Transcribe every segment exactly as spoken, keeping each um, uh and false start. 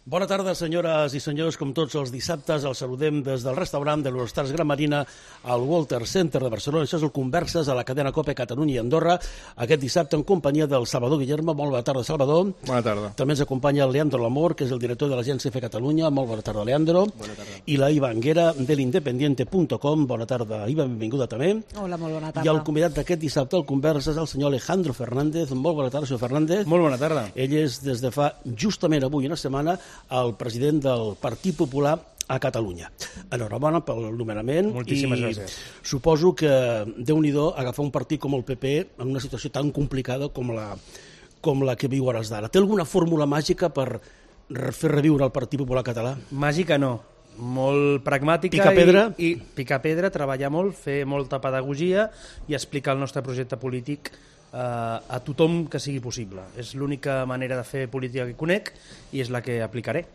Bona tarda, senyores i senyors. Com tots els dissabtes, els saludem des del restaurant de l'Hortars Gran Marina al Walter Center de Barcelona. Això és el Converses a la cadena COPE Catalunya i Andorra. Aquest dissabte en companyia del Salvador Guillermo. Molt bona tarda, Salvador. Bona tarda. També ens acompanya el Leandro Lamor, que és el director de l'Agència F Catalunya. Molt bona tarda, Leandro. Bona tarda. I la Iva Anguera, de l'independiente punt com. Bona tarda, Iva, benvinguda també. Hola, molt bona tarda. I el convidat d'aquest dissabte al Converses, el senyor Alejandro Fernández. Molt bona tarda, senyor Fernández. Molt bona tarda. Ell és, des de fa justament avui una setmana, el president del Partit Popular a Catalunya. Enhorabona pel nomenament. Moltíssimes i gràcies. Suposo que Déu-n'hi-do agafar un partit com el P P en una situació tan complicada com la, com la que viu hores d'ara. Té alguna fórmula màgica per fer reviure el Partit Popular català? Màgica no, molt pragmàtica. Picar pedra? I, i picar pedra, treballar molt, fer molta pedagogia i explicar el nostre projecte polític eh, a tothom que sigui possible. És l'única manera de fer política que conec i és la que aplicaré.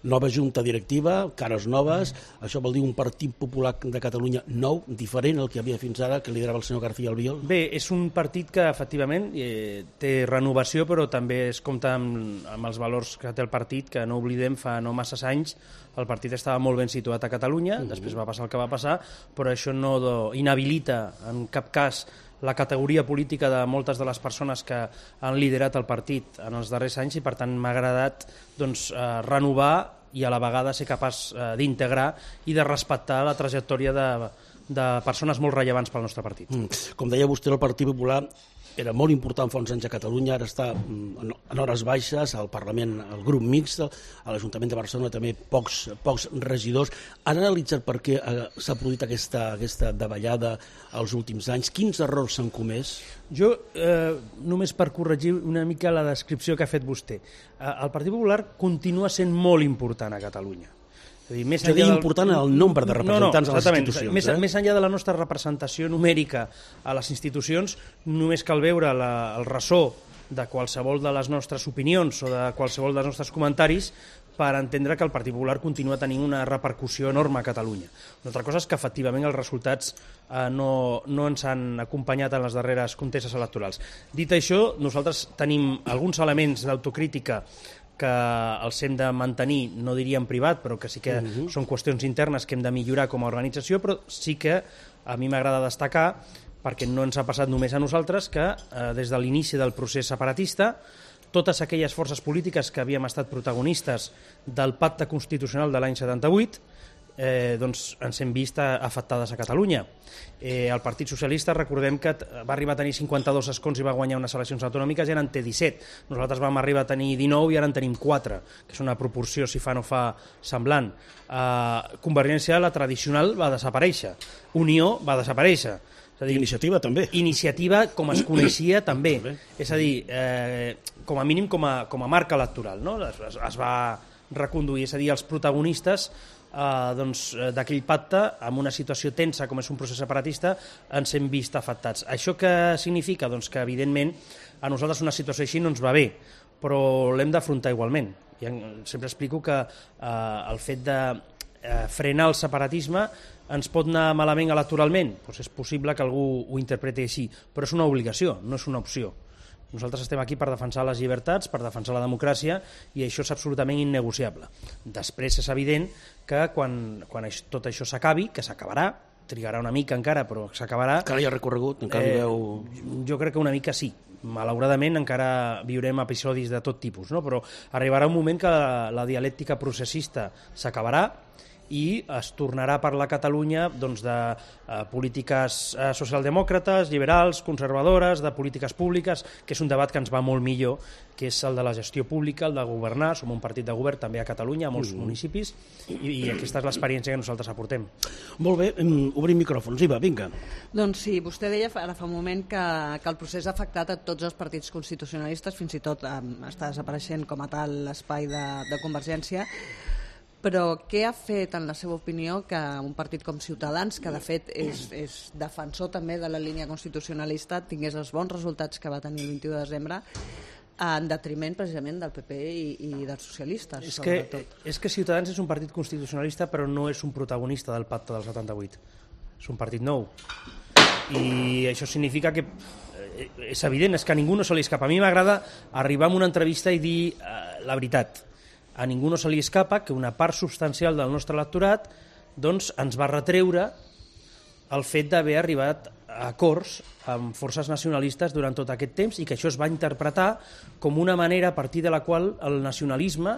Nova junta directiva, cares noves, això vol dir un Partit Popular de Catalunya nou, diferent al que hi havia fins ara, que liderava el senyor García Albiol? Bé, és un partit que efectivament eh, té renovació, però també es compta amb, amb els valors que té el partit, que no oblidem, fa no massa anys el partit estava molt ben situat a Catalunya, uh-huh. Després va passar el que va passar, però això no do, inhabilita en cap cas la categoria política de moltes de les persones que han liderat el partit en els darrers anys i per tant m'ha agradat doncs, eh, renovar i a la vegada ser capaç eh, d'integrar i de respectar la trajectòria de, de persones molt rellevants pel nostre partit. Mm. Com deia vostè, el Partit Popular era molt important fa uns anys a Catalunya, ara està en hores baixes, al Parlament, al grup mixt, a l'Ajuntament de Barcelona també pocs, pocs regidors. Han analitzat per què s'ha produït aquesta, aquesta davallada als últims anys? Quins errors s'han comès? Jo, eh, només per corregir una mica la descripció que ha fet vostè, eh, el Partit Popular continua sent molt important a Catalunya. És a dir, més és a dir, del... important el nombre de representants no, no, a les institucions. Més, eh? més enllà de la nostra representació numèrica a les institucions, només cal veure la, el ressò de qualsevol de les nostres opinions o de qualsevol dels nostres comentaris per entendre que el Partit Popular continua tenint una repercussió enorme a Catalunya. Una altra cosa és que, efectivament, els resultats eh, no, no ens han acompanyat en les darreres contestes electorals. Dit això, nosaltres tenim alguns elements d'autocrítica que els hem de mantenir, no diria en privat, però que sí que uh-huh. són qüestions internes que hem de millorar com a organització, però sí que a mi m'agrada destacar, perquè no ens ha passat només a nosaltres, que eh, des de l'inici del procés separatista, totes aquelles forces polítiques que havíem estat protagonistes del pacte constitucional de l'any setanta-vuit, eh, doncs ens hem vist afectades a Catalunya. Eh, el Partit Socialista, recordem que va arribar a tenir cinquanta-dos escons i va guanyar unes eleccions autonòmiques i ara en té disset. Nosaltres vam arribar a tenir dinou i ara en tenim quatre, que és una proporció, si fa no fa, semblant. Eh, Convergència, la tradicional, va desaparèixer. Unió va desaparèixer. És a dir, iniciativa també. Iniciativa, com es coneixia, també. És a dir, eh, com a mínim com a, com a marca electoral, no? Es, es, es va reconduir, és a dir, els protagonistes eh, doncs, d'aquell pacte, amb una situació tensa com és un procés separatista, ens hem vist afectats. Això què significa? Doncs que, evidentment, a nosaltres una situació així no ens va bé, però l'hem d'afrontar igualment. I sempre explico que eh, el fet de eh, frenar el separatisme ens pot anar malament electoralment? Doncs és possible que algú ho interpreti així, però és una obligació, no és una opció. Nosaltres estem aquí per defensar les llibertats, per defensar la democràcia, i això és absolutament innegociable. Després és evident que quan, quan això, tot això s'acabi, que s'acabarà, trigarà una mica encara, però s'acabarà... Encara hi ha recorregut? Encara eh, veu... Jo crec que una mica sí. Malauradament encara viurem episodis de tot tipus, no? Però arribarà un moment que la, la dialèctica processista s'acabarà i es tornarà a parlar a Catalunya doncs, de eh, polítiques eh, socialdemòcrates, liberals, conservadores, de polítiques públiques, que és un debat que ens va molt millor, que és el de la gestió pública, el de governar. Som un partit de govern també a Catalunya, a molts mm. municipis, i, i aquesta és l'experiència que nosaltres aportem. Molt bé, obrim micròfons. Iva, vinga. Doncs sí, vostè deia ara fa un moment que, que el procés ha afectat a tots els partits constitucionalistes, fins i tot eh, està desapareixent com a tal l'espai de, de Convergència. Però què ha fet, en la seva opinió, que un partit com Ciutadans, que de fet és, és defensor també de la línia constitucionalista, tingués els bons resultats que va tenir el vint-i-u de desembre, en detriment precisament del P P i, i dels socialistes, és sobretot? Que, és que Ciutadans és un partit constitucionalista, però no és un protagonista del pacte del setanta-vuit. És un partit nou. I això significa que és evident, és que a ningú no se li escapa. A mi m'agrada arribar a una entrevista i dir eh, la veritat. a ningú no se li escapa que una part substancial del nostre electorat doncs, ens va retreure el fet d'haver arribat a acords amb forces nacionalistes durant tot aquest temps i que això es va interpretar com una manera a partir de la qual el nacionalisme,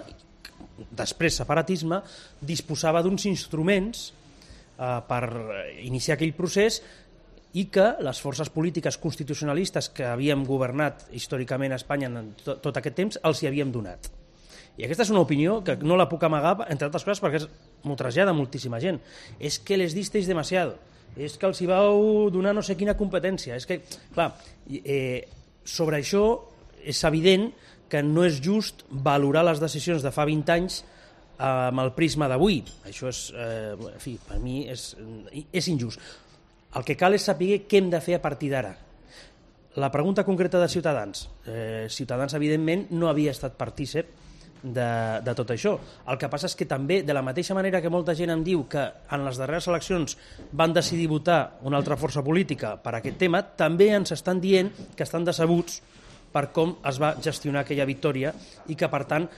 després separatisme, disposava d'uns instruments eh, per iniciar aquell procés i que les forces polítiques constitucionalistes que havíem governat històricament a Espanya en tot, tot aquest temps els hi havíem donat. I aquesta és una opinió que no la puc amagar, entre altres coses, perquè m'ho trasllada moltíssima gent. És que les disteis demasiado, és que els hi vau donar no sé quina competència. És que, clar, eh, sobre això és evident que no és just valorar les decisions de fa vint anys amb el prisma d'avui. Això és, eh, en fi, per mi és, és injust. El que cal és saber què hem de fer a partir d'ara. La pregunta concreta de Ciutadans. Eh, Ciutadans, evidentment, no havia estat partícip de, de tot això. El que passa és que també, de la mateixa manera que molta gent em diu que en les darreres eleccions van decidir votar una altra força política per aquest tema, també ens estan dient que estan decebuts per com es va gestionar aquella victòria i que, per tant,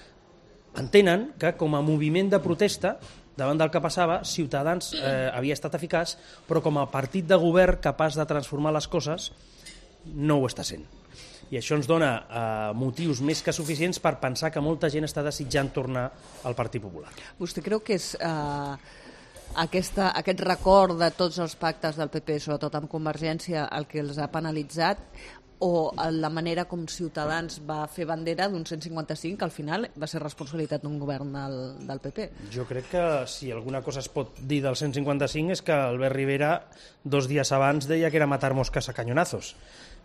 entenen que com a moviment de protesta davant del que passava, Ciutadans eh, havia estat eficaç, però com a partit de govern capaç de transformar les coses no ho està sent. I això ens dona eh, motius més que suficients per pensar que molta gent està desitjant tornar al Partit Popular. Vostè creu que és eh, aquesta, aquest record de tots els pactes del P P, sobretot amb Convergència, el que els ha penalitzat, o la manera com Ciutadans va fer bandera d'un cent cinquanta cinc, que al final va ser responsabilitat d'un govern del, del P P? Jo crec que si alguna cosa es pot dir del cent cinquanta cinc és que Albert Rivera dos dies abans deia que era matar mosques a canyonazos.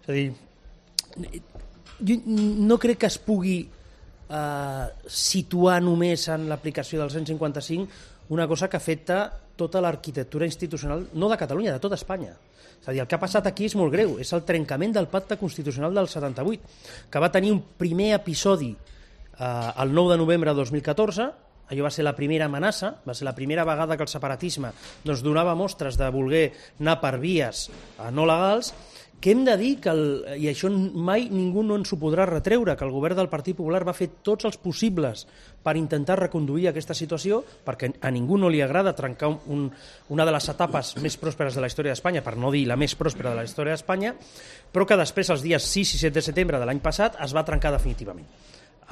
És a dir, jo no crec que es pugui eh, situar només en l'aplicació del cent cinquanta cinc una cosa que afecta tota l'arquitectura institucional, no de Catalunya, de tota Espanya. És a dir, el que ha passat aquí és molt greu, és el trencament del pacte constitucional del setanta-vuit, que va tenir un primer episodi eh, el nou de novembre de dos mil catorze, allò va ser la primera amenaça, va ser la primera vegada que el separatisme doncs, donava mostres de voler anar per vies eh, no legals, que hem de dir que, el, i això mai ningú no ens ho podrà retreure, que el govern del Partit Popular va fer tots els possibles per intentar reconduir aquesta situació, perquè a ningú no li agrada trencar un, una de les etapes més pròsperes de la història d'Espanya, per no dir la més pròspera de la història d'Espanya, però que després, els dies sis i set de setembre de l'any passat, es va trencar definitivament.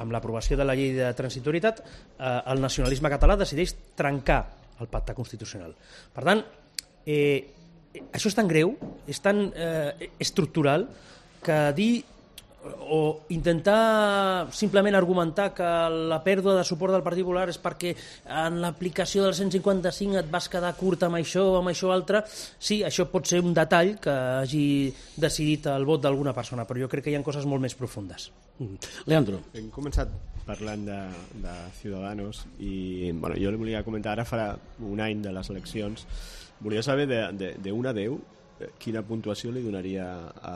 Amb l'aprovació de la llei de transitorietat, eh, el nacionalisme català decideix trencar el pacte constitucional. Per tant, eh, això és tan greu, és tan eh, estructural, que dir o intentar simplement argumentar que la pèrdua de suport del Partit Popular és perquè en l'aplicació del cent cinquanta cinc et vas quedar curt amb això o amb això altre, sí, això pot ser un detall que hagi decidit el vot d'alguna persona, però jo crec que hi ha coses molt més profundes. Leandro. Hem començat parlant de, de Ciudadanos i bueno, jo li volia comentar, ara farà un any de les eleccions, volia saber de, de, de un a deu quina puntuació li donaria a,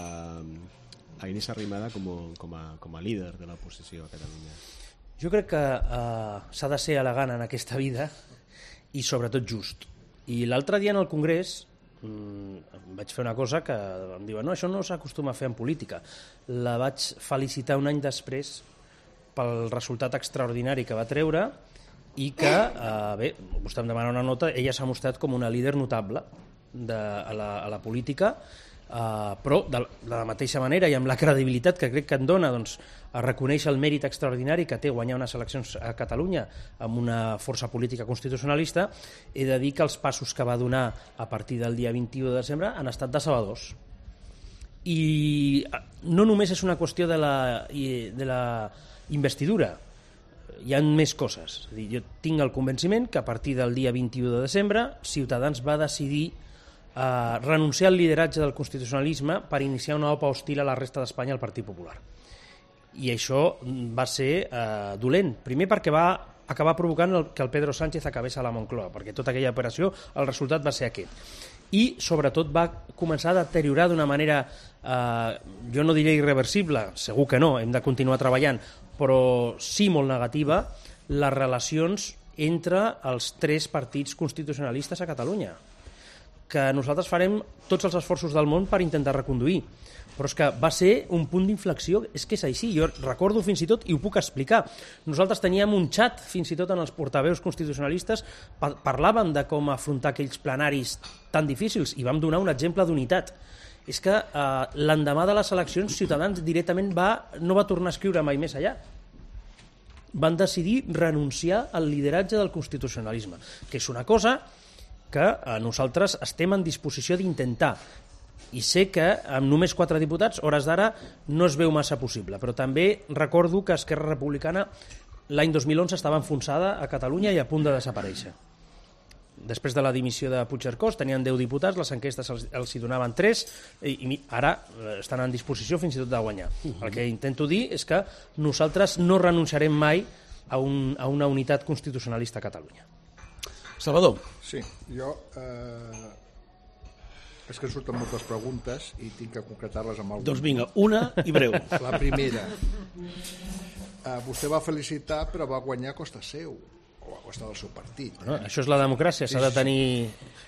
a Inés Arrimadas com, com, a, com a líder de l'oposició a Catalunya. Jo crec que eh, s'ha de ser elegant en aquesta vida i sobretot just. I l'altre dia en el Congrés mmm, vaig fer una cosa que em diuen no, això no s'acostuma a fer en política. La vaig felicitar un any després pel resultat extraordinari que va treure i que, eh, bé, vostè em demana una nota, ella s'ha mostrat com una líder notable de, a, la, a la política, eh, però de, de la mateixa manera i amb la credibilitat que crec que en dona doncs, a reconèixer el mèrit extraordinari que té guanyar unes eleccions a Catalunya amb una força política constitucionalista, he de dir que els passos que va donar a partir del dia vint-i-u de desembre han estat decebedors. I no només és una qüestió de la, de la investidura, hi ha més coses. És a dir, jo tinc el convenciment que a partir del dia vint-i-u de desembre Ciutadans va decidir eh, renunciar al lideratge del constitucionalisme per iniciar una opa hostil a la resta d'Espanya al Partit Popular. I això va ser eh, dolent. Primer perquè va acabar provocant el, que el Pedro Sánchez acabés a la Moncloa, perquè tota aquella operació el resultat va ser aquest. I sobretot va començar a deteriorar d'una manera, eh, jo no diré irreversible, segur que no, hem de continuar treballant, però sí molt negativa, les relacions entre els tres partits constitucionalistes a Catalunya, que nosaltres farem tots els esforços del món per intentar reconduir, però és que va ser un punt d'inflexió, és que és així, jo recordo fins i tot, i ho puc explicar, nosaltres teníem un xat, fins i tot en els portaveus constitucionalistes, parlàvem de com afrontar aquells plenaris tan difícils, i vam donar un exemple d'unitat. És que eh, l'endemà de les eleccions Ciutadans directament va, no va tornar a escriure mai més allà. Van decidir renunciar al lideratge del constitucionalisme, que és una cosa que nosaltres estem en disposició d'intentar. I sé que amb només quatre diputats, hores d'ara, no es veu massa possible, però també recordo que Esquerra Republicana l'any dos mil onze estava enfonsada a Catalunya i a punt de desaparèixer. Després de la dimissió de Puigcercós tenien deu diputats, les enquestes els, els hi donaven tres, i, i ara estan en disposició fins i tot de guanyar. Uh-huh. El que intento dir és que nosaltres no renunciarem mai a, un, a una unitat constitucionalista a Catalunya. Salvador. Sí, jo... Eh, és que surten moltes preguntes i tinc que concretar-les amb alguna. Doncs vinga, una i breu. La primera. Eh, vostè va felicitar, però va guanyar a costa seu, o a costa del seu partit. Eh? Bueno, això és la democràcia, s'ha de tenir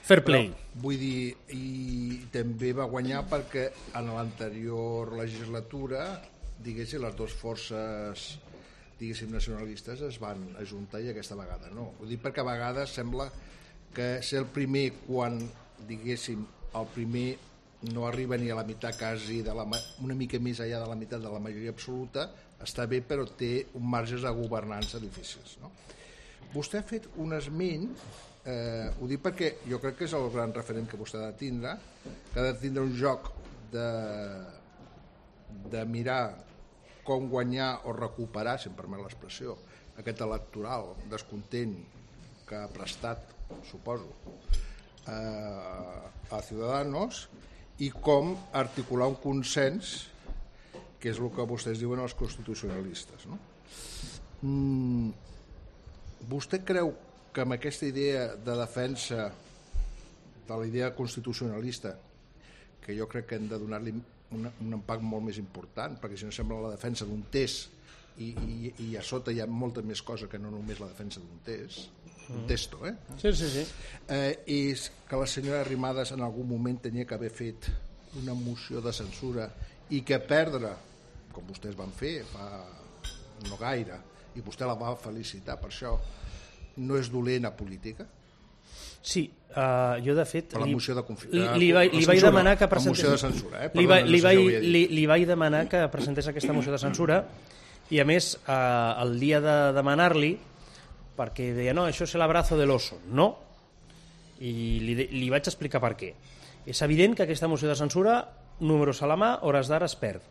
fair play. Però, vull dir, i també va guanyar perquè en l'anterior legislatura, diguéssim, les dues forces diguéssim nacionalistes es van ajuntar i aquesta vegada no. Ho dic perquè a vegades sembla que ser el primer quan, diguéssim, el primer no arriba ni a la meitat quasi, de la, una mica més allà de la meitat de la majoria absoluta, està bé però té un marges de governança difícils. No? Vostè ha fet un esment, eh, ho dic perquè jo crec que és el gran referent que vostè ha de tindre, que ha de tindre un joc de, de mirar com guanyar o recuperar, si em permet l'expressió, aquest electoral descontent que ha prestat, suposo, eh, a Ciudadanos, i com articular un consens, que és el que vostès diuen els constitucionalistes. No? Mm, vostè creu que amb aquesta idea de defensa de la idea constitucionalista, que jo crec que hem de donar-li un, un impact molt més important, perquè si no sembla la defensa d'un test i, i, i a sota hi ha molta més cosa que no només la defensa d'un test, un testo, eh? Sí, sí, sí. Eh, és que la senyora Arrimadas en algun moment tenia que haver fet una moció de censura i que perdre, com vostès van fer fa no gaire, i vostè la va felicitar per això, no és dolent a política? Sí, uh, jo de fet per la moció de confi... li, li, vaig, li vaig demanar que presentés la moció de censura, eh? li, va, li, vaig, li, li vaig demanar que presentés aquesta moció de censura i a més uh, el dia de demanar-li, perquè deia no, això és l'abrazo de l'oso, no, i li, li vaig explicar per què. És evident que aquesta moció de censura, números a la mà, hores d'ara es perd.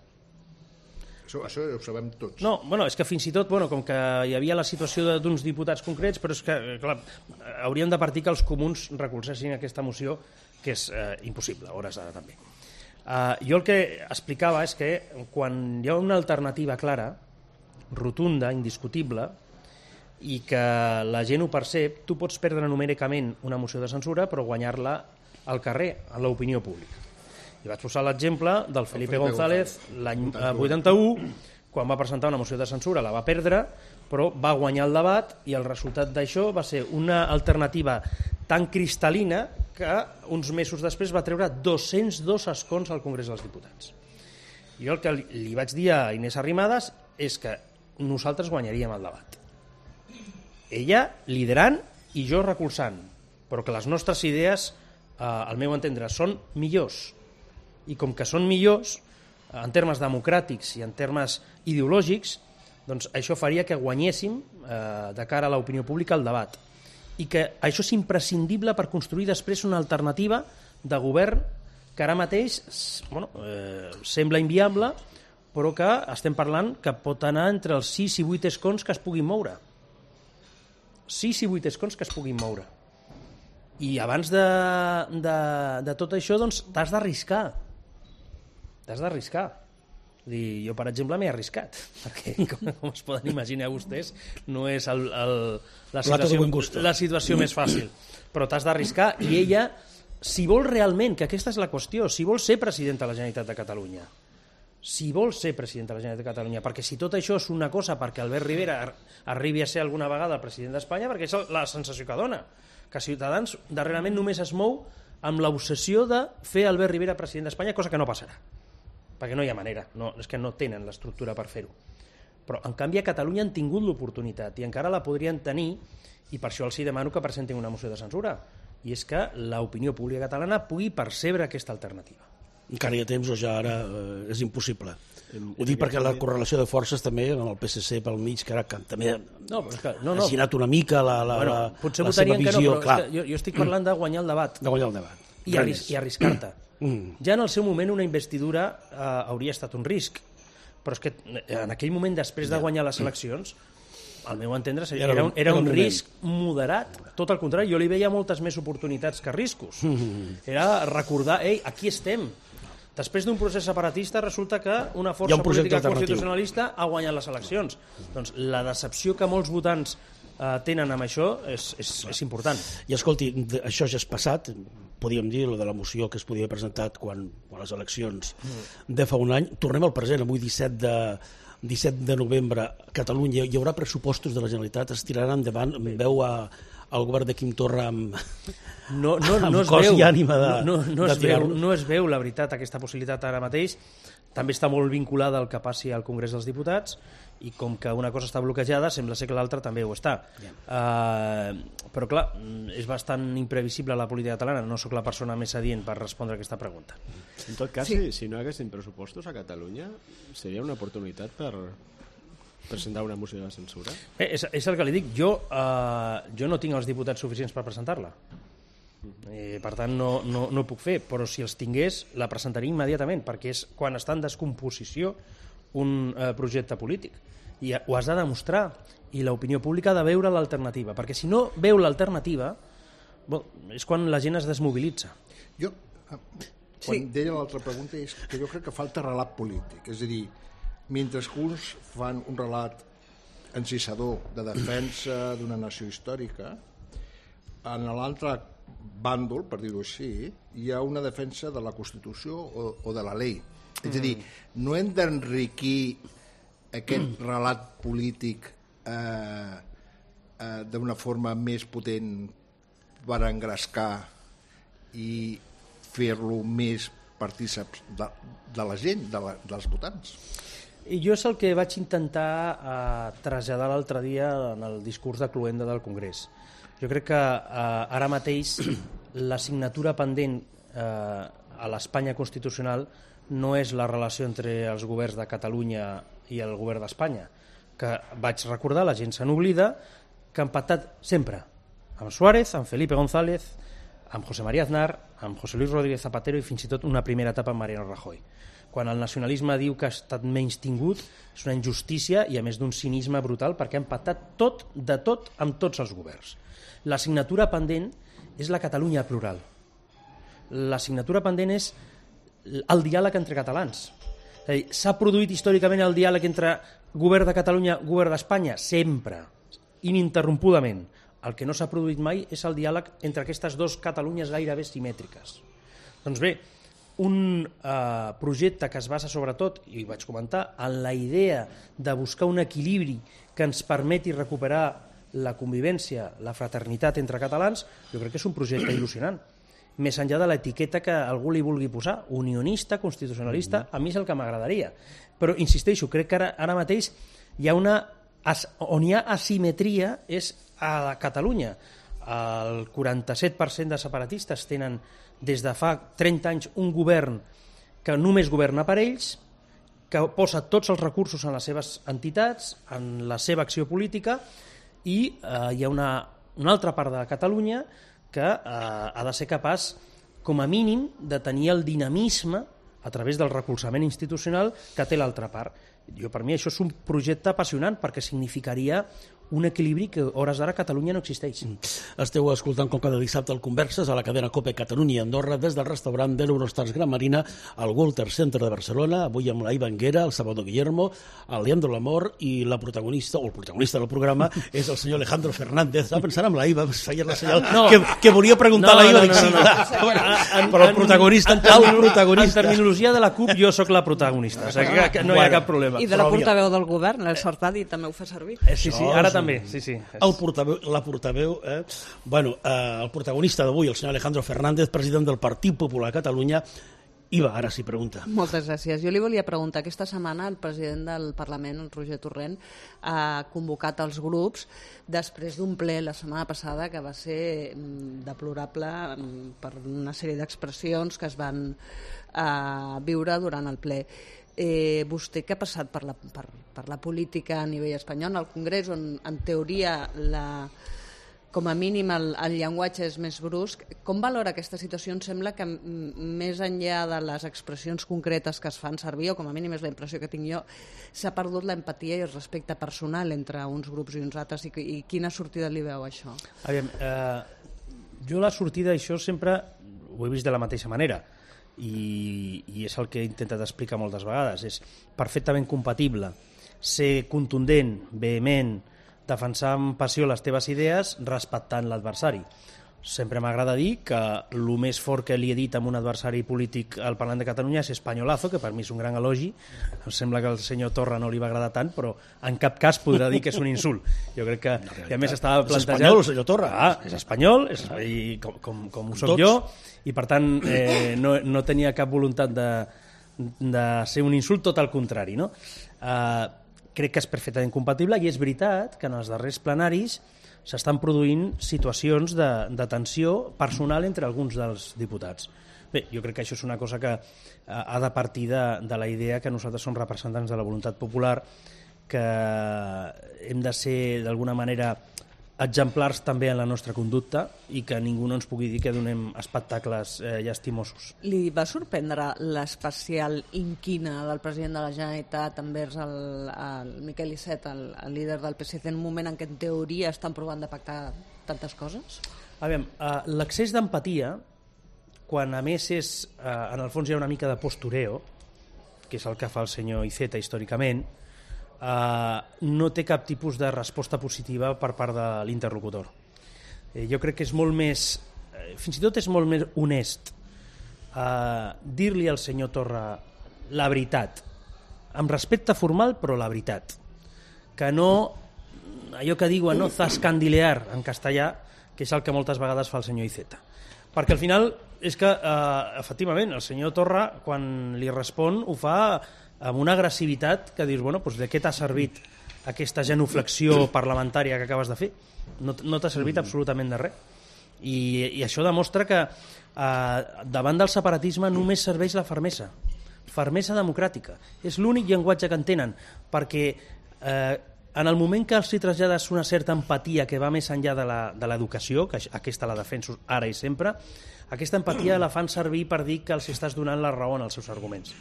Això, això ho sabem tots. No, bueno, és que fins i tot, bueno, com que hi havia la situació d'uns diputats concrets, però és que, clar, hauríem de partir que els comuns recolzessin aquesta moció, que és eh, impossible, a hores d'ara també. Uh, jo el que explicava és que quan hi ha una alternativa clara, rotunda, indiscutible, i que la gent ho percep, tu pots perdre numèricament una moció de censura, però guanyar-la al carrer, a l'opinió pública. I vaig posar l'exemple del Felipe, Felipe González l'any vuitanta-u, quan va presentar una moció de censura, la va perdre, però va guanyar el debat i el resultat d'això va ser una alternativa tan cristal·lina que uns mesos després va treure dos-cents dos escons al Congrés dels Diputats. Jo el que li vaig dir a Inés Arrimadas és que nosaltres guanyaríem el debat. Ella liderant i jo recolzant, però que les nostres idees, eh, al meu entendre, són millors. I com que són millors, en termes democràtics i en termes ideològics, doncs això faria que guanyéssim eh, de cara a l'opinió pública el debat. I que això és imprescindible per construir després una alternativa de govern que ara mateix bueno, eh, sembla inviable, però que estem parlant que pot anar entre els sis i vuit escons que es puguin moure. sis i vuit escons que es puguin moure. I abans de, de, de tot això, doncs, t'has d'arriscar. T'has d'arriscar. Jo, per exemple, m'he arriscat, perquè, com, com es poden imaginar vostès, no és el, el, la, situació, la situació més fàcil. Però t'has d'arriscar i ella, si vol realment, que aquesta és la qüestió, si vol ser presidenta de la Generalitat de Catalunya, si vol ser president de la Generalitat de Catalunya, perquè si tot això és una cosa perquè Albert Rivera arribi a ser alguna vegada president d'Espanya, perquè és la sensació que dona, que Ciutadans darrerament només es mou amb l'obsessió de fer Albert Rivera president d'Espanya, cosa que no passarà. perquè no hi ha manera, no, és que no tenen l'estructura per fer-ho. Però, en canvi, a Catalunya han tingut l'oportunitat i encara la podrien tenir, i per això els demano que presentin una moció de censura, i és que l'opinió pública catalana pugui percebre aquesta alternativa. Encara hi ha temps o ja ara eh, és impossible. Ho dic perquè la correlació de forces també amb el P S C pel mig, que ara que també no, però és que, no, no. ha girat una mica la, la, bueno, la, potser la seva visió. Que no, però clar. és que jo, jo estic parlant de guanyar el debat. De guanyar el debat. I, arris i arriscar-te. Mm. Ja en el seu moment una investidura eh, hauria estat un risc, però és que en aquell moment, després de guanyar les eleccions, al meu entendre, era, era un, era un risc moderat. Tot el contrari, jo li veia moltes més oportunitats que riscos. Era recordar, ei, aquí estem. Després d'un procés separatista resulta que una força un política constitucionalista ha guanyat les eleccions. Doncs la decepció que molts votants eh, tenen amb això és, és, és important. I escolti, això ja és passat, podríem dir, lo de la moció que es podia haver presentat quan, quan les eleccions de fa un any. Tornem al present, avui disset de novembre, a Catalunya hi haurà pressupostos de la Generalitat, es tiraran endavant, veu a el govern de Quim Torra amb, no, no, no amb es cos veu, i ànima de, no, no, de es veu, tirar-los. No es veu, la veritat, aquesta possibilitat ara mateix. També està molt vinculada al que passi al Congrés dels Diputats, i com que una cosa està bloquejada, sembla ser que l'altra també ho està. Yeah. Uh, però clar, és bastant imprevisible la política catalana, no sóc la persona més adient per respondre a aquesta pregunta. En tot cas, sí. si, si no haguessin pressupostos a Catalunya, seria una oportunitat per presentar una moció de censura? Bé, és, és el que li dic, jo, uh, jo no tinc els diputats suficients per presentar-la. Eh, per tant no, no, no ho puc fer, però si els tingués la presentaria immediatament, perquè és quan està en descomposició un eh, projecte polític, i ho has de demostrar, i l'opinió pública ha de veure l'alternativa, perquè si no veu l'alternativa, bon, és quan la gent es desmobilitza. Jo, quan sí. deia l'altra pregunta, és que jo crec que falta relat polític, és a dir, mentre que uns fan un relat encisador de defensa d'una nació històrica, en l'altre bàndol, per dir-ho així, hi ha una defensa de la Constitució o, o de la llei. És a dir, no hem d'enriquir aquest relat polític eh, eh, d'una forma més potent per engrescar i fer-lo més partícips de, de la gent, de la, dels votants. I jo és el que vaig intentar eh, traslladar l'altre dia en el discurs de cloenda del Congrés. Jo crec que eh, ara mateix l'assignatura pendent eh, a l'Espanya constitucional no és la relació entre els governs de Catalunya i el govern d'Espanya, que vaig recordar, la gent se n'oblida, que han pactat sempre amb Suárez, amb Felipe González, amb José María Aznar, amb José Luis Rodríguez Zapatero i fins i tot una primera etapa amb Mariano Rajoy. Quan el nacionalisme diu que ha estat menys tingut, és una injustícia i a més d'un cinisme brutal, perquè han pactat tot, de tot, amb tots els governs. L'assignatura pendent és la Catalunya plural. L'assignatura pendent és el diàleg entre catalans. S'ha produït històricament el diàleg entre govern de Catalunya i govern d'Espanya? Sempre, ininterrompudament. El que no s'ha produït mai és el diàleg entre aquestes dues Catalunyes gairebé simètriques. Doncs bé, un eh, projecte que es basa sobretot, i ho vaig comentar, en la idea de buscar un equilibri que ens permeti recuperar la convivència, la fraternitat entre catalans, jo crec que és un projecte il·lusionant. Més enllà de l'etiqueta que algú li vulgui posar, unionista, constitucionalista, a mi és el que m'agradaria. Però, insisteixo, crec que ara, ara mateix hi ha una, on hi ha asimetria és a Catalunya. El quaranta-set per cent de separatistes tenen des de fa trenta anys un govern que només governa per ells, que posa tots els recursos en les seves entitats, en la seva acció política, i eh, hi ha una, una altra part de Catalunya que eh, ha de ser capaç, com a mínim, de tenir el dinamisme a través del recolzament institucional que té l'altra part. Jo, per mi això és un projecte apassionant perquè significaria un equilibri que a hores d'ara a Catalunya no existeix. Esteu escoltant com cada dissabte el Converses a la cadena COPE Catalunya i Andorra des del restaurant de l'Eurostars Gran Marina al Walter Center de Barcelona, avui amb la Iva Anguera, el Salvador Guillermo, el Leandro Lamor i la protagonista, o el protagonista del programa és el senyor Alejandro Fernández. Estava pensant amb la Iva, es feia la senyal no, que, que volia preguntar no, a la Iva. No, no, no, no. no. Però el protagonista, en, en, el protagonista... En terminologia de la CUP jo sóc la protagonista, o sigui que, que no hi ha cap problema. I de la portaveu del govern, el Sartadi, també ho fa servir. Eh, sí, sí, ara també, sí, sí. El portaveu, la portaveu, eh? bueno, eh, el protagonista d'avui, el senyor Alejandro Fernández, president del Partit Popular a Catalunya, Iva, ara sí, pregunta. Moltes gràcies. Jo li volia preguntar, aquesta setmana el president del Parlament, el Roger Torrent, ha convocat els grups després d'un ple la setmana passada que va ser deplorable per una sèrie d'expressions que es van eh, viure durant el ple. Eh, vostè que ha passat per la, per, per la política a nivell espanyol, al Congrés, on en teoria la... com a mínim el, el llenguatge és més brusc. Com valora aquesta situació? Em sembla que més enllà de les expressions concretes que es fan servir, o com a mínim és la impressió que tinc jo, s'ha perdut l'empatia i el respecte personal entre uns grups i uns altres, i, i quina sortida li veu això? Aviam, eh, jo la sortida això sempre ho he vist de la mateixa manera, i, i és el que he intentat explicar moltes vegades. És perfectament compatible ser contundent, vehement, defensar amb passió les teves idees respectant l'adversari. Sempre m'agrada dir que el més fort que li he dit a un adversari polític al Parlament de Catalunya és espanyolazo, que per mi és un gran elogi. Em sembla que al senyor Torra no li va agradar tant, però en cap cas podrà dir que és un insult. Jo crec que, no, i a més estava plantejat... És espanyol, el senyor Torra. Ah, és espanyol, és, i com, com, com ho soc jo, i per tant eh, no, no tenia cap voluntat de, de ser un insult, tot al contrari, no? Eh, crec que és perfectament compatible, i és veritat que en els darrers plenaris s'estan produint situacions de, de tensió personal entre alguns dels diputats. Bé, jo crec que això és una cosa que ha de partir de, de la idea que nosaltres som representants de la voluntat popular, que hem de ser d'alguna manera exemplars també en la nostra conducta, i que ningú no ens pugui dir que donem espectacles eh, llastimosos. Li va sorprendre l'especial inquina del president de la Generalitat envers el, el Miquel Iceta, el, el líder del P S C, en un moment en què en teoria estan provant de pactar tantes coses? Aviam, eh, l'excés d'empatia, quan a més és, eh, en el fons hi ha una mica de postureo, que és el que fa el senyor Iceta històricament, Uh, no té cap tipus de resposta positiva per part de l'interlocutor. Eh, jo crec que és molt més, eh, fins i tot és molt més honest uh, dir-li al senyor Torra la veritat, amb respecte formal, però la veritat, que no allò que diuen, no zascandilear en castellà, que és el que moltes vegades fa el senyor Iceta. Perquè al final és que eh, efectivament el senyor Torra, quan li respon, ho fa amb una agressivitat que dius, bueno, doncs de què t'ha servit aquesta genuflexió parlamentària que acabes de fer? No, no t'ha servit absolutament de res. I, i això demostra que eh, davant del separatisme només serveix la fermesa, fermesa democràtica. És l'únic llenguatge que entenen, perquè eh, en el moment que els hi trasllades una certa empatia que va més enllà de l'educació, que aquesta la defenso ara i sempre, aquesta empatia la fan servir per dir que els estàs donant la raó en els seus arguments,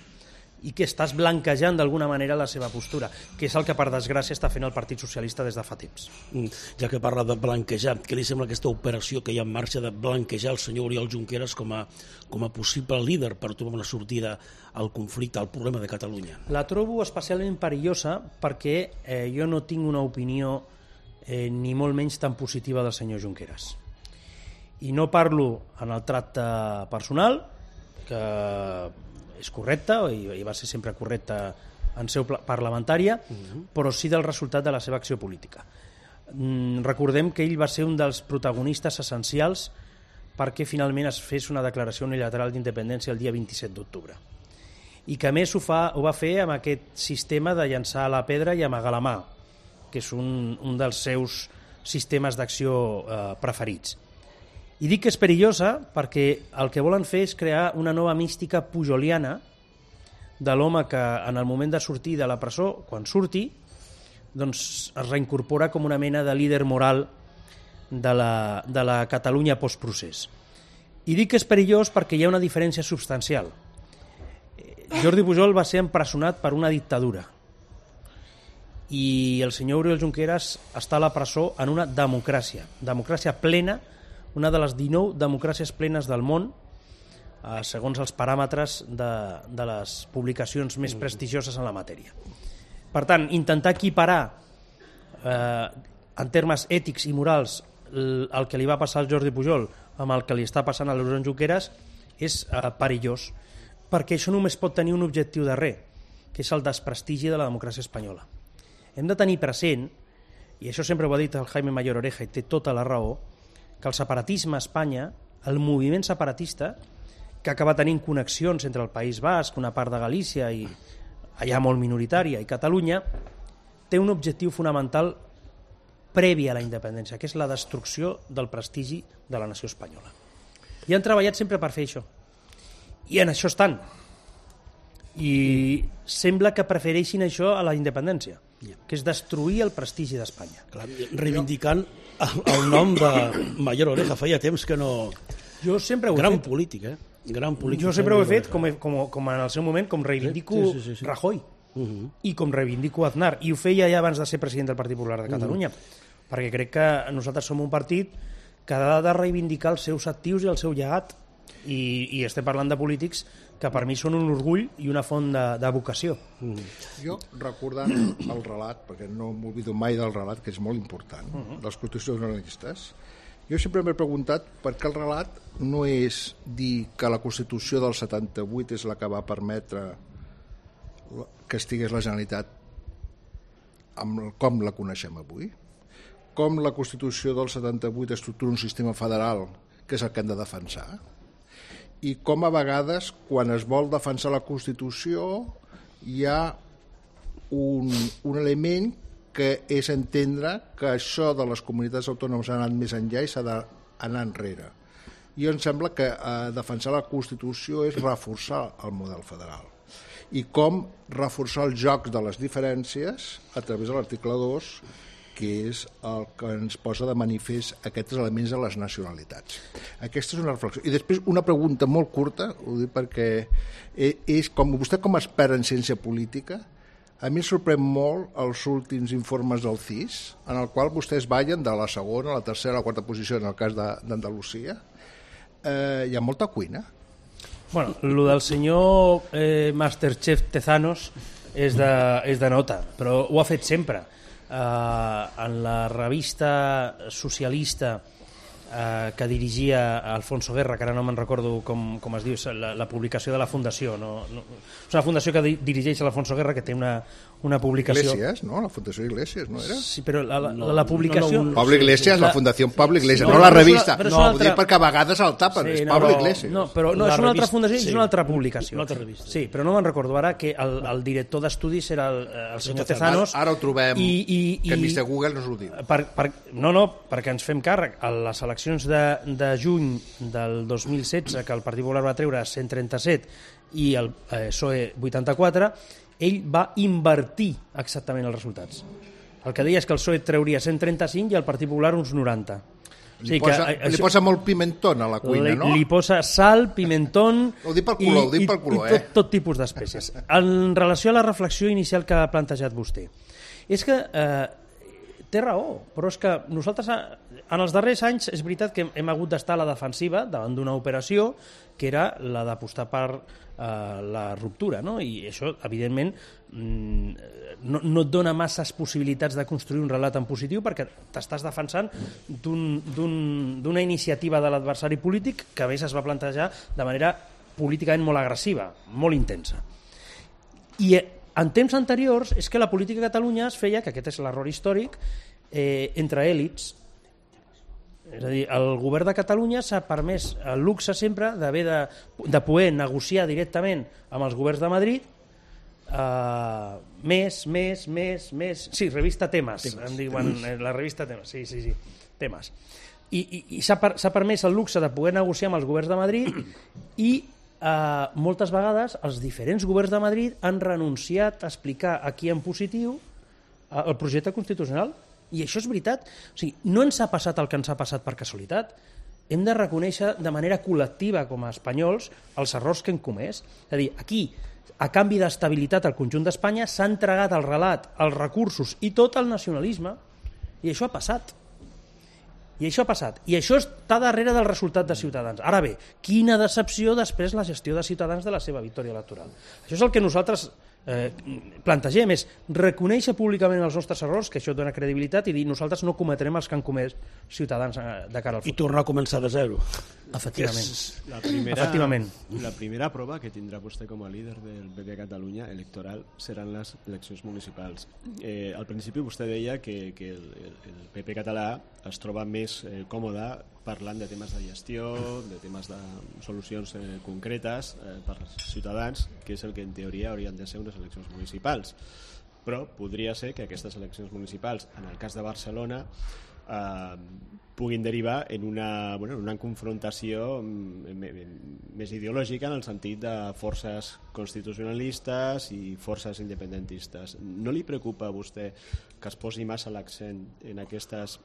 i que estàs blanquejant d'alguna manera la seva postura, que és el que per desgràcia està fent el Partit Socialista des de fa temps. Ja que parla de blanquejar, què li sembla aquesta operació que hi ha en marxa de blanquejar el senyor Oriol Junqueras com a, com a possible líder per trobar una sortida al conflicte, al problema de Catalunya? La trobo especialment perillosa perquè eh, jo no tinc una opinió eh, ni molt menys tan positiva del senyor Junqueras. I no parlo en el tracte personal, que és correcte, i va ser sempre correcte en seu parlamentària, uh-huh. però sí del resultat de la seva acció política. Mm, recordem que ell va ser un dels protagonistes essencials perquè finalment es fes una declaració unilateral d'independència el dia vint-i-set d'octubre. I que a més ho, fa, ho va fer amb aquest sistema de llançar la pedra i amagar la mà, que és un, un dels seus sistemes d'acció eh, preferits. I dic que és perillosa perquè el que volen fer és crear una nova mística pujoliana de l'home que en el moment de sortir de la presó, quan surti, doncs es reincorpora com una mena de líder moral de la, de la Catalunya postprocés. I dic que és perillós perquè hi ha una diferència substancial. Jordi Pujol va ser empresonat per una dictadura i el senyor Oriol Junqueras està a la presó en una democràcia, democràcia plena, una de les dinou democràcies plenes del món, eh, segons els paràmetres de, de les publicacions més prestigioses en la matèria. Per tant, intentar equiparar eh, en termes ètics i morals el, el que li va passar al Jordi Pujol amb el que li està passant a l'Oriol Junqueras és eh, perillós, perquè això només pot tenir un objectiu darrer, que és el desprestigi de la democràcia espanyola. Hem de tenir present, i això sempre ho ha dit el Jaime Mayor Oreja i té tota la raó, que el separatisme a Espanya, el moviment separatista, que acaba tenint connexions entre el País Basc, una part de Galícia i allà molt minoritària, i Catalunya, té un objectiu fonamental previ a la independència, que és la destrucció del prestigi de la nació espanyola. I han treballat sempre per fer això. I en això estan. I sembla que prefereixin això a la independència, que és destruir el prestigi d'Espanya. Reivindicant el, el nom de Mayor Oreja, feia temps que no... Jo sempre ho he Gran fet. polític, eh? Gran polític. Jo sempre ho he fet, com, com, com en el seu moment, com reivindico Sí, sí, sí, sí. Rajoy Uh -huh. i com reivindico Aznar. I ho feia ja abans de ser president del Partit Popular de Catalunya, uh -huh. perquè crec que nosaltres som un partit que ha de reivindicar els seus actius i el seu llegat. I, i estem parlant de polítics que per mi són un orgull i una font de, de vocació. Mm. Jo, recordant el relat, perquè no m'oblido mai del relat, que és molt important, uh -huh. dels constitucionalistes, jo sempre m'he preguntat per què el relat no és dir que la Constitució del setanta-vuit és la que va permetre que estigués la Generalitat amb com la coneixem avui, com la Constitució del setanta-vuit estructura un sistema federal, que és el que hem de defensar, i com a vegades quan es vol defensar la Constitució hi ha un, un element que és entendre que això de les comunitats autònomes ha anat més enllà i s'ha d'anar enrere. I em sembla que eh, defensar la Constitució és reforçar el model federal i com reforçar els jocs de les diferències a través de l'article dos, que és el que ens posa de manifest aquests elements de les nacionalitats. Aquesta és una reflexió. I després una pregunta molt curta, ho dic perquè és com vostè com a expert en ciència política, a mi em sorprèn molt els últims informes del C I S, en el qual vostès ballen de la segona, la tercera, la quarta posició en el cas d'Andalusia. Eh, hi ha molta cuina. Bueno, lo del senyor eh, Masterchef Tezanos és de, és de nota, però ho ha fet sempre. Uh, en la revista socialista uh, que dirigia Alfonso Guerra, que ara no me'n recordo com, com es diu, la, la publicació de la fundació, no, no, és una fundació que di dirigeix l'Alfonso Guerra, que té una, una publicació... Iglesias, no? La Fundació Iglesias, no era? Sí, però la, la, la, la publicació... No, no, Pablo Iglesias, la, la Fundació Pablo Iglesias, no, no, no la revista. Però és no, una ho altra... dic perquè a vegades el tapen, sí, és Pablo no, Iglesias. No, però no, la és una altra revista, fundació, sí. És una altra publicació. Una altra revista. Sí, però no me'n recordo ara que el, el director d'estudis era el, el senyor Tezanos. Ara ho trobem, i, i, que i, mister Google no s'ho diu. Per, per, no, no, perquè ens fem càrrec. A les eleccions de, de juny del dos mil setze, que el Partit Popular va treure cent trenta-set i el eh, P S O E vuitanta-quatre, ell va invertir exactament els resultats. El que deia és que el P S O E treuria cent trenta-cinc i el Partit Popular uns noranta. Li, o sigui posa, que, li posa molt pimentón a la cuina, li, no? Li posa sal, pimentón ho dic pel color, i, ho dic pel color, i, i tot, eh? tot tipus d'espècies. En relació a la reflexió inicial que ha plantejat vostè, és que eh, té raó, però és que nosaltres en els darrers anys és veritat que hem hagut d'estar a la defensiva davant d'una operació que era la d'apostar per eh, la ruptura, no? I això, evidentment, no, no et dona masses possibilitats de construir un relat en positiu perquè t'estàs defensant d'una iniciativa de l'adversari polític que a més es va plantejar de manera políticament molt agressiva, molt intensa. I en temps anteriors és que la política a Catalunya es feia, que aquest és l'error històric, eh, entre èlits. És a dir, el govern de Catalunya s'ha permès el luxe sempre d'haver de, de poder negociar directament amb els governs de Madrid eh, més, més, més, més... Sí, revista Temes, temes em diuen, temes. La revista Temes, sí, sí, sí, Temes. I, i, i s'ha per, s'ha permès el luxe de poder negociar amb els governs de Madrid i Uh, moltes vegades els diferents governs de Madrid han renunciat a explicar aquí en positiu uh, el projecte constitucional, i això és veritat. O sigui, no ens ha passat el que ens ha passat per casualitat. Hem de reconèixer de manera col·lectiva com a espanyols els errors que hem comès. És a dir, aquí, a canvi d'estabilitat al conjunt d'Espanya, s'ha entregat el relat, els recursos i tot el nacionalisme, i això ha passat. I això ha passat. I això està darrere del resultat de Ciutadans. Ara bé, quina decepció després la gestió de Ciutadans de la seva victòria electoral. Això és el que nosaltres eh, plantegem, és reconèixer públicament els nostres errors, que això dona credibilitat, i dir nosaltres no cometrem els que han comès Ciutadans de cara al futur. I tornar a començar de zero. Efectivament. La primera, Efectivament. la primera prova que tindrà vostè com a líder del P P a Catalunya electoral seran les eleccions municipals. Eh, al principi vostè deia que, que el, el P P català es troba més eh, còmode parlant de temes de gestió, de temes de solucions eh, concretes eh, per als ciutadans, que és el que en teoria haurien de ser unes eleccions municipals. Però podria ser que aquestes eleccions municipals, en el cas de Barcelona, eh, puguin derivar en una, bueno, en una confrontació més ideològica en el sentit de forces constitucionalistes i forces independentistes. No li preocupa a vostè que es posi massa l'accent en aquestes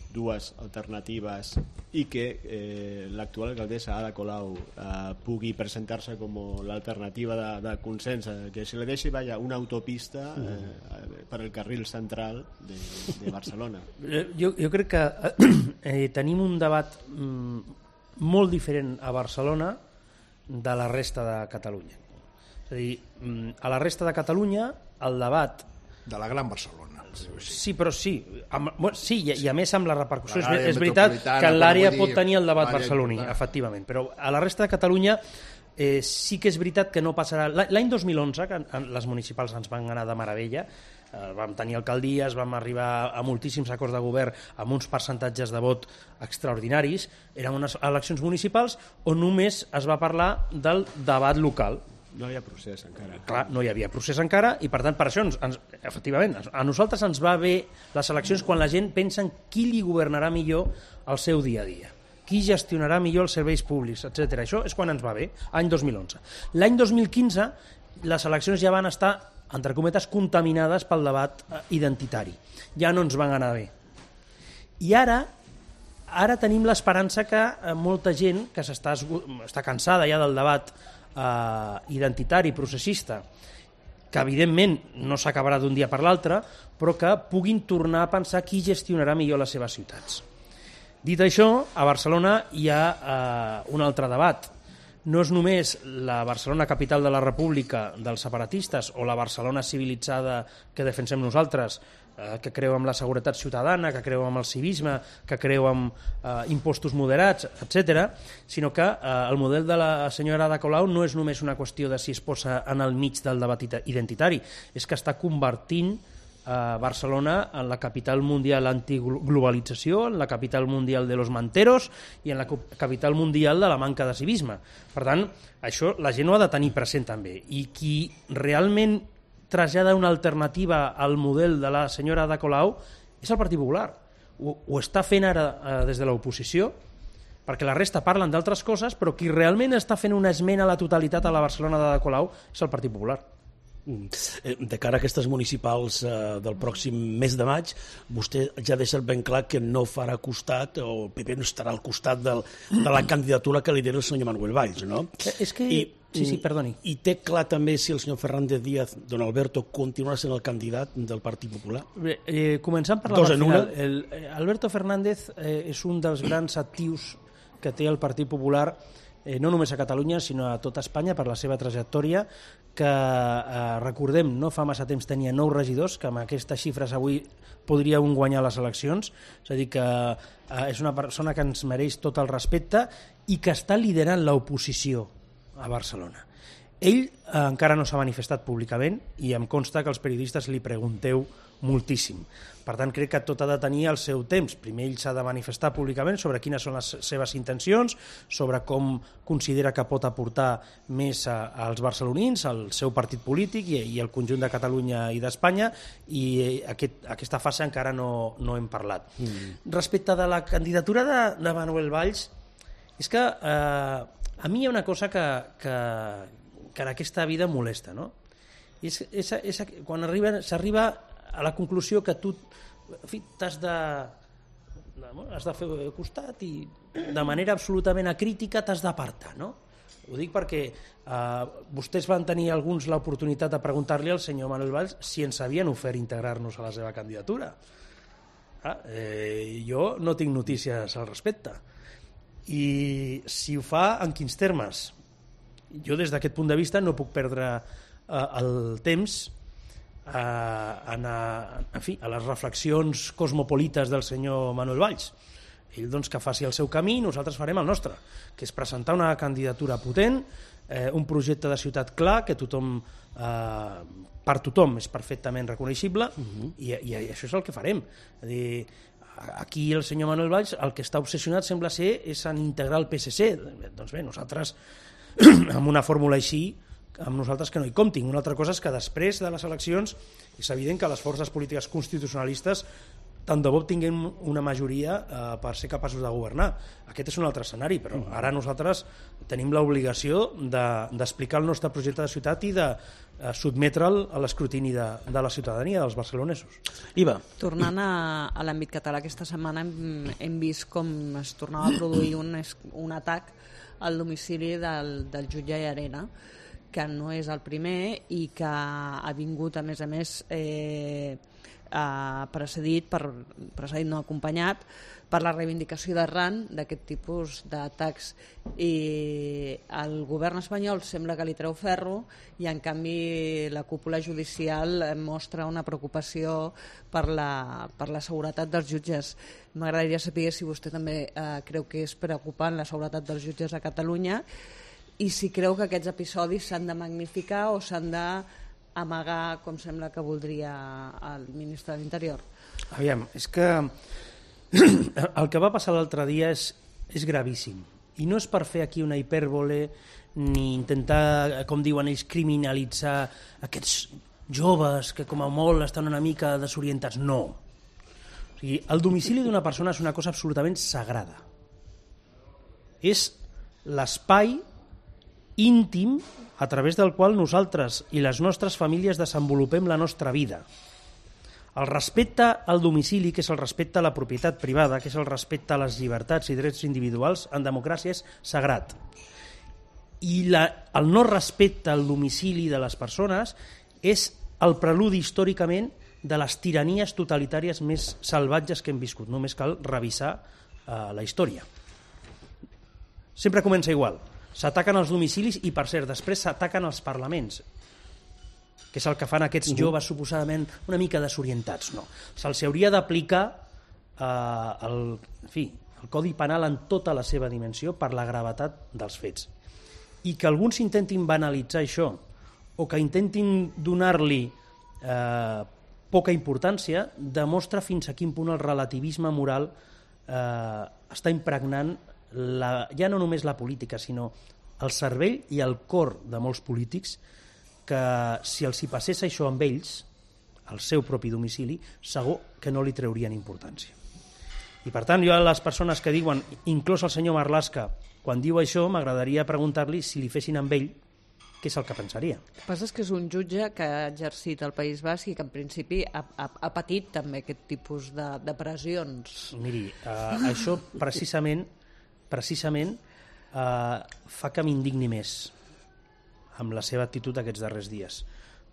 dues alternatives i que eh, l'actual alcaldessa Ada Colau eh, pugui presentar-se com l'alternativa de, de consens, eh, que se li deixi vaya, una autopista eh, per al carril central de, de Barcelona? Jo, jo crec que eh, tenim un debat mm, molt diferent a Barcelona de la resta de Catalunya. És a dir, mm, a la resta de Catalunya el debat... De la Gran Barcelona. Sí, però sí. Amb, bueno, sí, i, i a més amb la repercussió. És, és veritat metropolitana, que l'àrea dir, pot tenir el debat l'àrea barceloní, important. efectivament. Però a la resta de Catalunya eh, sí que és veritat que no passarà... L'any dos mil onze, que les municipals ens van anar de meravella, eh, vam tenir alcaldies, vam arribar a moltíssims acords de govern amb uns percentatges de vot extraordinaris, eren unes eleccions municipals on només es va parlar del debat local. No hi ha procés encara. Clar, no hi havia procés encara i per tant per això ens, ens, efectivament a nosaltres ens va bé les eleccions quan la gent pensa en qui li governarà millor el seu dia a dia, qui gestionarà millor els serveis públics, etcètera. Això és quan ens va bé, any dos mil onze. L'any dos mil quinze les eleccions ja van estar, entre cometes, contaminades pel debat identitari. Ja no ens van anar bé. I ara ara tenim l'esperança que molta gent que s'està està cansada ja del debat Uh, identitari, processista, que evidentment no s'acabarà d'un dia per l'altre, però que puguin tornar a pensar qui gestionarà millor les seves ciutats. Dit això, a Barcelona hi ha uh, un altre debat. No és només la Barcelona capital de la República dels separatistes o la Barcelona civilitzada que defensem nosaltres, eh, que creu en la seguretat ciutadana, que creu en el civisme, que creu en eh, impostos moderats, etcètera, sinó que eh, el model de la senyora Ada Colau no és només una qüestió de si es posa en el mig del debat identitari, és que està convertint a Barcelona en la capital mundial antiglobalització, en la capital mundial de los manteros i en la capital mundial de la manca de civisme. Per tant, això la gent ho ha de tenir present també. I qui realment trasllada una alternativa al model de la senyora Ada Colau és el Partit Popular. Ho, ho està fent ara eh, des de l'oposició, perquè la resta parlen d'altres coses, però qui realment està fent una esmena a la totalitat a la Barcelona d'Ada Colau és el Partit Popular. De cara a aquestes municipals eh, del pròxim mes de maig, vostè ja ha deixat ben clar que no farà costat, o el P P no estarà al costat del, de la candidatura que lidera el senyor Manuel Valls, no? És que... I, sí, sí, perdoni. I té clar també si el senyor Fernández Díaz, don Alberto, continuarà sent el candidat del Partit Popular? Bé, eh, començant per la part final. El, eh, Alberto Fernández eh, és un dels grans actius que té el Partit Popular, eh, no només a Catalunya, sinó a tota Espanya, per la seva trajectòria, que, eh, recordem, no fa massa temps tenia nou regidors, que amb aquestes xifres avui podria un guanyar les eleccions, és a dir, que eh, és una persona que ens mereix tot el respecte i que està liderant l'oposició a Barcelona. Ell eh, encara no s'ha manifestat públicament i em consta que els periodistes li pregunteu moltíssim. Per tant, crec que tot ha de tenir el seu temps. Primer ell s'ha de manifestar públicament sobre quines són les seves intencions, sobre com considera que pot aportar més a, als barcelonins, al seu partit polític i, i al conjunt de Catalunya i d'Espanya, i aquest, aquesta fase encara no, no hem parlat. Mm. Respecte de la candidatura de, de Manuel Valls, és que eh, a mi hi ha una cosa que, que, que en aquesta vida molesta, no? És, és, és, quan arriba, s'arriba a la conclusió que tu t'has de, has de fer costat i de manera absolutament acrítica t'has d'apartar, no? Ho dic perquè eh, vostès van tenir alguns l'oportunitat de preguntar-li al senyor Manuel Valls si ens havien ofert integrar-nos a la seva candidatura. Ah, eh, jo no tinc notícies al respecte. I si ho fa, en quins termes? Jo des d'aquest punt de vista no puc perdre eh, el temps a, a, en fi, a les reflexions cosmopolites del senyor Manuel Valls. Ell doncs, que faci el seu camí i nosaltres farem el nostre, que és presentar una candidatura potent, eh, un projecte de ciutat clar, que tothom, eh, per tothom és perfectament reconeixible, uh-huh. i, i, i això és el que farem. És a dir, aquí el senyor Manuel Valls el que està obsessionat sembla ser és en integrar el P S C. Doncs bé, nosaltres amb una fórmula així amb nosaltres que no hi comptin. Una altra cosa és que després de les eleccions és evident que les forces polítiques constitucionalistes tant de bo tinguem una majoria eh, per ser capaços de governar. Aquest és un altre escenari, però ara nosaltres tenim l'obligació de, d'explicar el nostre projecte de ciutat i de eh, sotmetre'l a l'escrutini de, de la ciutadania, dels barcelonesos. Iva. Tornant a, a l'àmbit català, aquesta setmana hem, hem vist com es tornava a produir un, un atac al domicili del, del jutge Llarena, que no és el primer i que ha vingut, a més a més, eh, eh, precedit, per, precedit no acompanyat, per la reivindicació d'arran d'aquest tipus d'atacs. I el govern espanyol sembla que li treu ferro i, en canvi, la cúpula judicial mostra una preocupació per la, per la seguretat dels jutges. M'agradaria saber si vostè també eh, creu que és preocupant la seguretat dels jutges a Catalunya i si creu que aquests episodis s'han de magnificar o s'han d'amagar, com sembla que voldria el ministre de l'Interior. Aviam, és que el que va passar l'altre dia és, és gravíssim. I no és per fer aquí una hipèrbole ni intentar, com diuen ells, criminalitzar aquests joves que com a molt estan una mica desorientats. No. O sigui, el domicili d'una persona és una cosa absolutament sagrada. És l'espai íntim a través del qual nosaltres i les nostres famílies desenvolupem la nostra vida. El respecte al domicili, que és el respecte a la propietat privada, que és el respecte a les llibertats i drets individuals, en democràcia és sagrat. I la, el no respecte al domicili de les persones és el preludi històricament de les tiranies totalitàries més salvatges que hem viscut. Només cal revisar uh, la història. Sempre comença igual. S'ataquen els domicilis i, per cert, després s'ataquen els parlaments, que és el que fan aquests joves suposadament una mica desorientats. No. Se'ls hauria d'aplicar eh, el, en fi, el Codi Penal en tota la seva dimensió per la gravetat dels fets. I que alguns intentin banalitzar això o que intentin donar-li eh, poca importància demostra fins a quin punt el relativisme moral eh, està impregnant la, ja no només la política, sinó el cervell i el cor de molts polítics, que si els hi passés això amb ells, al seu propi domicili, segur que no li treurien importància. I per tant, jo a les persones que diuen, inclús el senyor Marlaska, quan diu això, m'agradaria preguntar-li si li fessin amb ell, què és el que pensaria. El que passa és que és un jutge que ha exercit al País Basc i que en principi ha, ha, ha patit també aquest tipus de, de pressions. Miri, eh, això precisament precisament eh, fa que m'indigni més amb la seva actitud aquests darrers dies,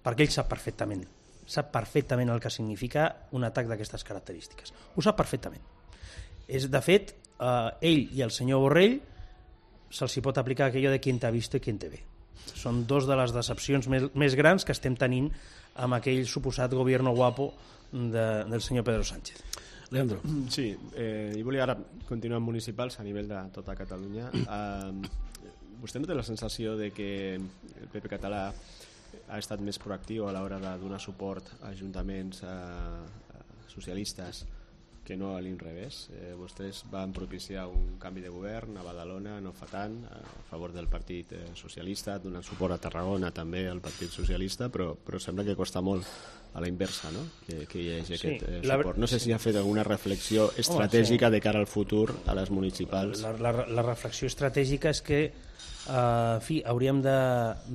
perquè ell sap perfectament, sap perfectament el que significa un atac d'aquestes característiques. Ho sap perfectament. És, de fet, eh, ell i el senyor Borrell se'ls pot aplicar aquello de quien te ha visto i quien te ve. Són dos de les decepcions més, més grans que estem tenint amb aquell suposat gobierno guapo de, del senyor Pedro Sánchez. Leandro. Sí, eh, jo volia ara continuar amb municipals a nivell de tota Catalunya. Eh, vostè no té la sensació de que el P P català ha estat més proactiu a l'hora de donar suport a ajuntaments eh, socialistes que no a l'inrevés? Eh, vostès van propiciar un canvi de govern a Badalona no fa tant, a favor del Partit eh, Socialista, donant suport a Tarragona també al Partit Socialista, però, però sembla que costa molt a la inversa, no? que, que hi hagi sí, aquest eh, la... suport. No sé si ha fet alguna reflexió estratègica Home, sí. de cara al futur a les municipals. La, la, la reflexió estratègica és que eh, en fi, hauríem de,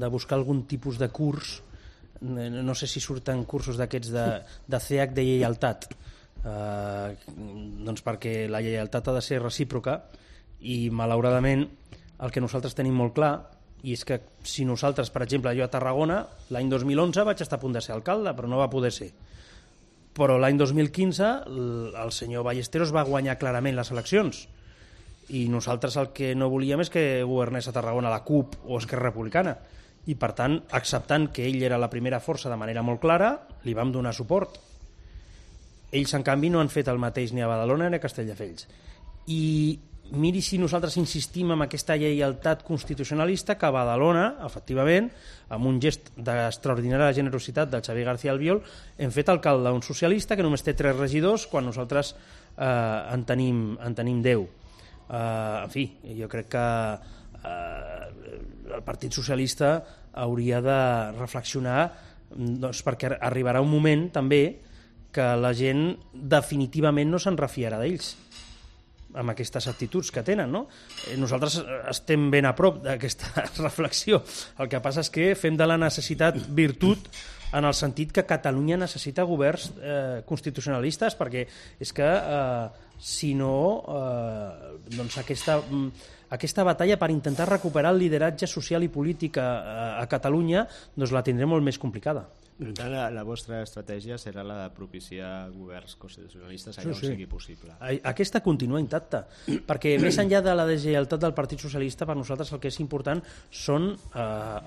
de buscar algun tipus de curs, no sé si surten cursos d'aquests de, de C H de lleialtat, Uh, doncs perquè la lleialtat ha de ser recíproca i malauradament el que nosaltres tenim molt clar i és que si nosaltres, per exemple, jo a Tarragona l'any dos mil onze vaig estar a punt de ser alcalde però no va poder ser, però l'any dos mil quinze el senyor Ballesteros va guanyar clarament les eleccions i nosaltres el que no volíem és que governés a Tarragona la CUP o Esquerra Republicana i per tant, acceptant que ell era la primera força de manera molt clara, li vam donar suport. Ells, en canvi, no han fet el mateix ni a Badalona ni a Castelldefels. i miri si nosaltres insistim en aquesta lleialtat constitucionalista que a Badalona, efectivament, amb un gest d'extraordinària generositat del Xavier García Albiol, hem fet alcalde un socialista que només té tres regidors quan nosaltres eh, en, tenim, en tenim deu. Eh, en fi, jo crec que eh, el Partit Socialista hauria de reflexionar, doncs, perquè arribarà un moment també que la gent definitivament no se'n refiarà d'ells amb aquestes actituds que tenen, no? Nosaltres estem ben a prop d'aquesta reflexió. El que passa és que fem de la necessitat virtut en el sentit que Catalunya necessita governs eh, constitucionalistes, perquè és que eh, si no eh, doncs aquesta, aquesta batalla per intentar recuperar el lideratge social i polític a, a Catalunya doncs la tindrem molt més complicada. Per tant, la, la vostra estratègia serà la de propiciar governs constitucionalistes allà sí, sí. on sigui possible. Aquesta continua intacta, perquè més enllà de la deslleialtat del Partit Socialista, per nosaltres el que és important són eh,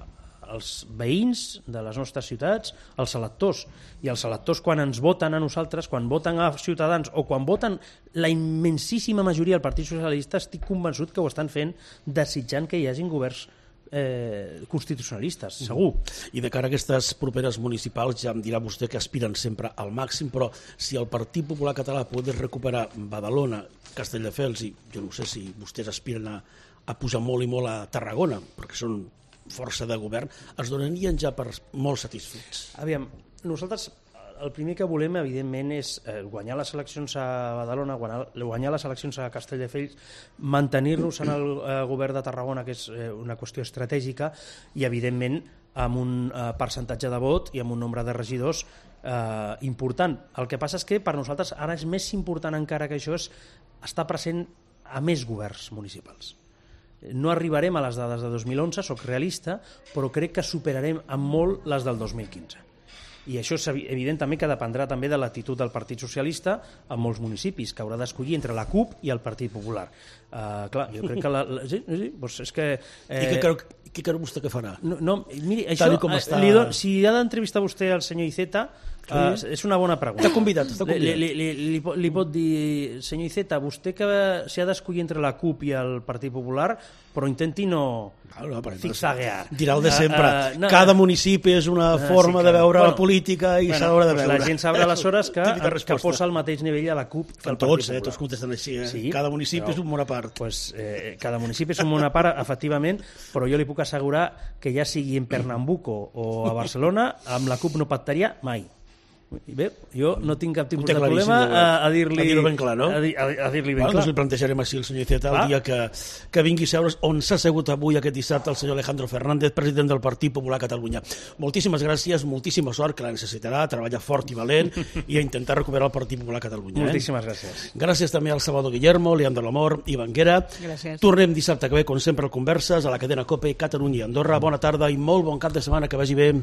els veïns de les nostres ciutats, els electors. I els electors, quan ens voten a nosaltres, quan voten a Ciutadans o quan voten la immensíssima majoria del Partit Socialista, estic convençut que ho estan fent desitjant que hi hagin governs Eh, constitucionalistes, segur. I de cara a aquestes properes municipals ja em dirà vostè que aspiren sempre al màxim, però si el Partit Popular Català pogués recuperar Badalona, Castelldefels i jo no sé si vostès aspiren a, a pujar molt i molt a Tarragona, perquè són força de govern, es donarien ja per molt satisfets. Aviam, nosaltres el primer que volem, evidentment, és eh, guanyar les eleccions a Badalona, guanyar, guanyar les eleccions a Castelldefels, mantenir-nos en el eh, govern de Tarragona, que és eh, una qüestió estratègica, i, evidentment, amb un eh, percentatge de vot i amb un nombre de regidors eh, important. El que passa és que per nosaltres ara és més important encara que això és estar present a més governs municipals. No arribarem a les dades de dos mil onze, soc realista, però crec que superarem amb molt les del dos mil quinze. I això és evident també que dependrà també de l'actitud del Partit Socialista en molts municipis, que haurà d'escollir entre la CUP i el Partit Popular. Uh, clar, jo crec que... La, la, sí, sí, doncs és que... Eh, I què creu, què creu vostè que farà? No, no, miri, això, està... li do, si ha d'entrevistar vostè al senyor Iceta, sí. uh, és una bona pregunta. T'ha convidat, t'ha convidat. Li, li, li, li, li pot dir, senyor Iceta, vostè que s'ha d'escollir entre la CUP i el Partit Popular, però intenti no... No, zigzaguear. Dirà el de sempre. Uh, uh, no, Cada municipi és una uh, forma sí, de veure bueno, la política i bueno, s'haurà de veure. La gent sabrà aleshores que, que posa al mateix nivell a la CUP que al Partit tots, Popular. Eh, tots contesten així. Eh? Sí, cada municipi però, és un món a part. Pues, eh, cada municipi és un món a part, efectivament, però jo li puc assegurar que ja sigui en Pernambuco o a Barcelona, amb la CUP no pactaria mai. I bé, jo no tinc cap tipus de problema a, a dir-li a dir-ho ben clar, no? A, dir, a, a dir-li ben bueno, clar. Doncs li plantejarem així el senyor Iceta el ah. dia que, que vingui a seure's on s'ha assegut avui aquest dissabte el senyor Alejandro Fernández, president del Partit Popular Catalunya. Moltíssimes gràcies, moltíssima sort, que la necessitarà, treballar fort i valent i a intentar recuperar el Partit Popular Catalunya. Moltíssimes eh? gràcies. Gràcies també al Salvador Guillermo, Leandro Lamor i Banguera. Gràcies. Tornem dissabte que ve, com sempre, al Converses, a la cadena COPE, Catalunya i Andorra. Bona tarda i molt bon cap de setmana, que vagi bé.